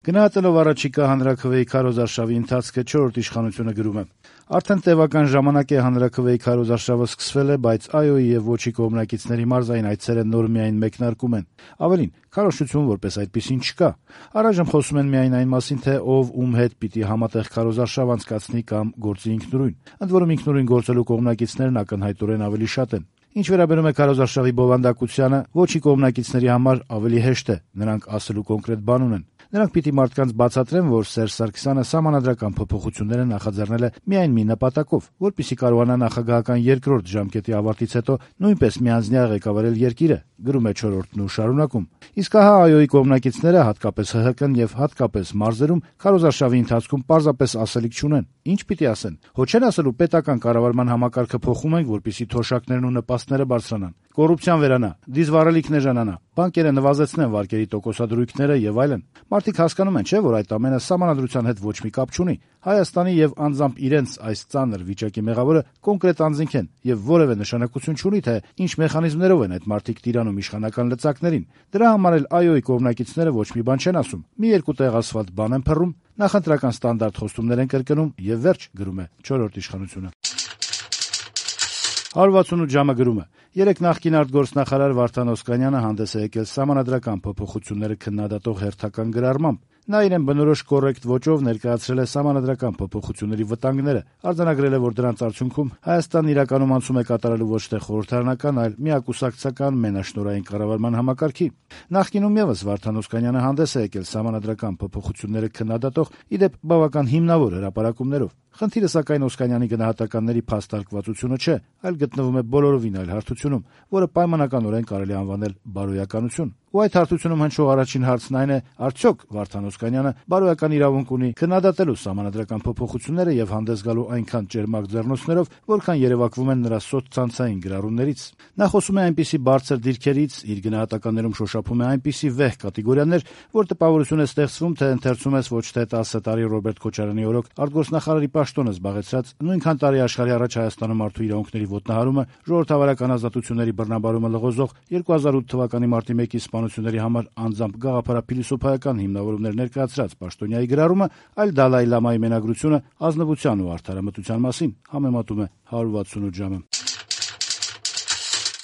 Գնահատելով առաջիկա հանրաքվեի քարոզարշավի ընթացքը 4-րդ իշխանությունը գրում է. արդեն տևական ժամանակ է հանրաքվեի քարոզարշավը սկսվել է, բայց ԱՅՈ-ի եւ ոչի կողմնակիցների մարզային այցերը նոր միայն մեկնարկում են։ Ավելին, քարոզչություն որպես այդպիսին չկա։ Առայժմ խոսում են միայն այն մասին, թե ով ում հետ պիտի համատեղ քարոզարշավ անցկացնի կամ գործի ինքնուրույն։ Ընդ որում ինքնուրույն գործելու կողմնակիցներն ակնհայտորեն ավելի շատ են։ Ինչ վերաբերում է քարոզարշավի բովանդակությանը, ոչի կողմնակիցների համար ավելի հեշտ է, նրանք ասելու կոնկրետ բան ունեն։ Նրանք պիտի մարդկանց բացատրեն, որ Սերժ Սարգսյանը սահմանադրական փոփոխությունները նախաձեռնել է միայն մի նպատակով, որպեսզի կարողանա նախագահական երկրորդ ժամկետի ավարտից հետո նույնպես միանձնյա ղեկավարել երկիրը, գրում է 4-րդն ու շարունակում։ Իսկ ահա ԱՅՈ-ի կողմնակիցները, հատկապես ՀՀԿ-ն եւ հատկապես մարզերում քարոզարշավի ընթացքում պարզապես ասելիք չունեն։ Ինչ պիտի ասեն։ Հո չեն ասելու պետական կառավարման համակարգը փոխում ենք, որպեսզի թոշակներն ու նպաստները բարձրանան, կոռուպցիան վերանա, դիզվառելիքն էժանանա, բանկերը նվազեցնեն վարկերի տոկոսադրույքները եւ այլն։ Մարդիկ հասկանում են, չէ՞, որ այդ ամենը սահմանադրության հետ ոչ մի կապ չունի։ Հայաստանի եւ անձամբ իրենց այս ծանր վիճակի մեղավորը կոնկրետ անձինք են եւ որևէ նշանակություն չունի, թե ինչ մեխանիզմներով են այդ մարդիկ տիրանում իշխանական լծակներին։ Դրա համար էլ ԱՅՈ-ի կողմնակիցները ոչ մի բան չեն ասում։ Մի երկու տեղ ասֆալտ բան են փռում, նախընտրական ստանդարտ խոստումներ են կրկնում եւ վերջ, գրում է 4-րդ իշխանությունը։ 168 ժամը գրում է. երեկ նախկին արտգործնախարար Վարդան Օսկանյանը հանդես է եկել սահմանադրական փոփոխությունները քննադատող հերթական գրառմամբ։ Նա իրեն բնորոշ կոռեկտ ոճով ներկայացրել է սահմանադրական փոփոխությունների վտանգները, արձանագրել է, որ դրանց արդյունքում Հայաստանն իրականում անցում է կատարելու ոչ թե խորհրդարանական, այլ միակուսակցական մենաշնորհային կառավարման համակարգի։ Նախկինում եւս Վարդան Օսկանյանը հանդես է եկել սահմանադրական փոփոխությունները քննադատող, իդեպ բավական հիմնավոր հրապարակումներով։ Խնդիրը սակայն Օսկանյանի գնահատականների փաստարկվածությունը չէ, այլ գտնվում է բոլորովին այլ հարթությունում, որը պայմանականորեն կարելի անվանել բարոյականություն։ Ու այդ հարթությունում հնչող առաջին հարցն այն է, արդյոք Վարդան Օսկանյանը բարոյական իրավունք ունի քննադատելու սահմանադրական փոփոխությունները եւ հանդես գալու այնքան ճերմակ ձեռնոցներով, որքան երևակվում են նրա սոցցանցային գրառումներից։ Նա խոսում է այնպիսի բարձր դիրքերից, իր գնահատականներում շոշափում է այնպիսի վեհ կատեգորիաներ, որ տպավորություն է ստեղծվում, թե ընթերցում ես ոչ թե 10 տարի Ռոբերտ Քոչարյանի օրոք արտգործնախարարի պաշտոնը զբաղեցրած, նույնքան տարի աշխարհի առաջ Հայաստանում մարդու իրավունքների ոտնահարումը, ժողովրդավարական ազատությունների բռնաբարումը լղոզող 2008 թվականի մարտի 1-ի սպանությունների համար անձամբ գաղափարափիլիսոփայական հիմնավորումներ ներկայացրած պաշտոնյայի գրառումը, այլ Դալայ Լամայի մենագրությունը ազնվության ու արդարամտության մասին, համեմատում է 168 ժամը։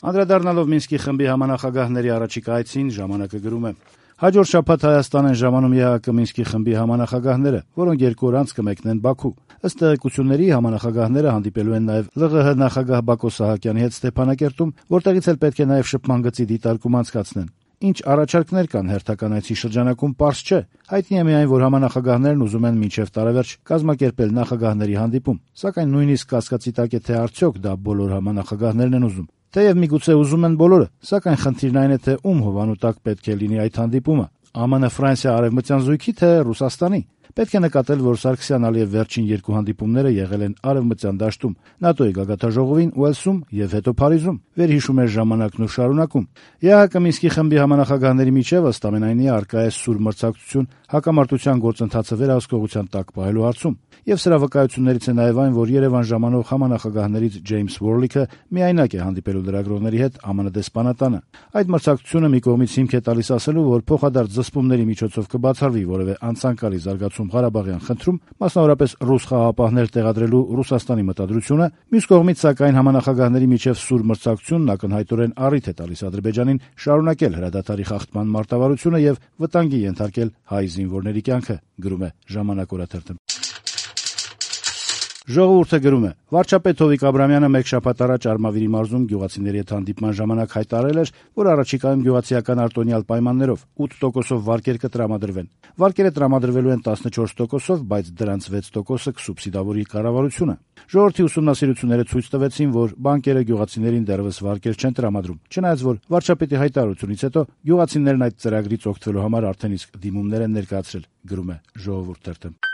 Անդրադառնալով Մինսկի խմբի համանախագահների առաջիկա այցին, ժամանակը գրում է. հաջորդ շաբաթ Հայաստան են ժամանում ԵԱՀԿ Մինսկի խմբի համանախագահները, որոնք 2 օր անց կմեկնեն Բաքու։ Ըստ տեղեկությունների համանախագահները հանդիպելու են նաև ԼՂՀ նախագահ Բակո Սահակյանի հետ Ստեփանակերտում, որտեղից էլ պետք է նաև շփման գծի դիտարկում անցկացնեն։ Ինչ առաջարկներ կան հերթական այցի շրջանակում, պարզ չէ։ Հայտնի է միայն, որ համանախագահներն ուզում են մինչև տարեվերջ կազմակերպել նախագահների հանդիպում, սակայն նույնիսկ կասկածի տակ է, թե արդյոք դա բոլոր համանախագահներն են ուզում։ Թեև միգուցե ուզում են բոլորը, սակայն խնդիրն այն է, թե ում հովանու տակ պետք է լինի այդ հանդիպումը՝ ԱՄՆ-Ֆրանսիա արևմտյան զույգի, թե Ռուսաստանի։ Պետք է նկատել, որ Սարգսյան-Ալիև վերջին 2 հանդիպումները եղել են արևմտյան դաշտում, ՆԱՏՕ-ի գագաթնաժողովին, Ուելսում եւ հետո Փարիզում, վերհիշում է ժամանակն ու շարունակում։ ԵԱՀԿ Մինսկի խմբի համանախագահների միջև ըստ ամենայնի առկա է սուր մրցակցություն հակամարտության գործընթացը վերահսկողության տակ պահելու հարցում։ Եվ սրա վկայություններից է նաև այն, որ Երևան ժամանող համանախագահներից Ջեյմս Ուորլիքը միայնակ է հանդիպելու լրագրողների հետ ԱՄՆ դեսպանատանը։ Այդ մրցակցությունը մի կողմից հիմք է տալիս ասելու, որ փոխադարձ զսպումների միջոցով կբացառվի որևէ անցանկալի զարգացում Ղարաբաղյան խնդրում, մասնավորապես ռուս խաղաղապահներ տեղադրելու Ռուսաստանի մտադրությունը, մյուս կողմից սակայն համանախագահների միջև սուր մրցակցությունն ակնհայտորեն առիթ է տալիս Ադրբեջանին շարունակել հրադադարի խախտման մարտավարությունը եւ վտանգի ենթարկել հայ զինվորների կյանքը, գրում է Ժամանակ օրաթերթը։ Ժողովուրդը գրում է. վարչապետ Հովիկ Աբրամյանը մեկ շաբաթ առաջ Արմավիրի մարզում գյուղացիների հետ հանդիպման ժամանակ հայտարարել էր, որ առաջիկայում գյուղացիական արտոնյալ պայմաններով 8%-ով վարկեր կտրամադրվեն։ Վարկերը տրամադրվելու են 14%-ով, բայց դրանց 6%-ը կսուբսիդավորի կառավարությունը։ Ժողովրդի ուսումնասիրությունները ցույց տվեցին, որ բանկերը գյուղացիներին դեռևս վարկեր չեն տրամադրում, չնայած որ վարչապետի հայտարարությունից հետո գյուղացիներն այդ ծրագրից օգտվելու համար արդեն իսկ դիմումներ են ներկայացրել, գրում է Ժողովուրդ թերթը։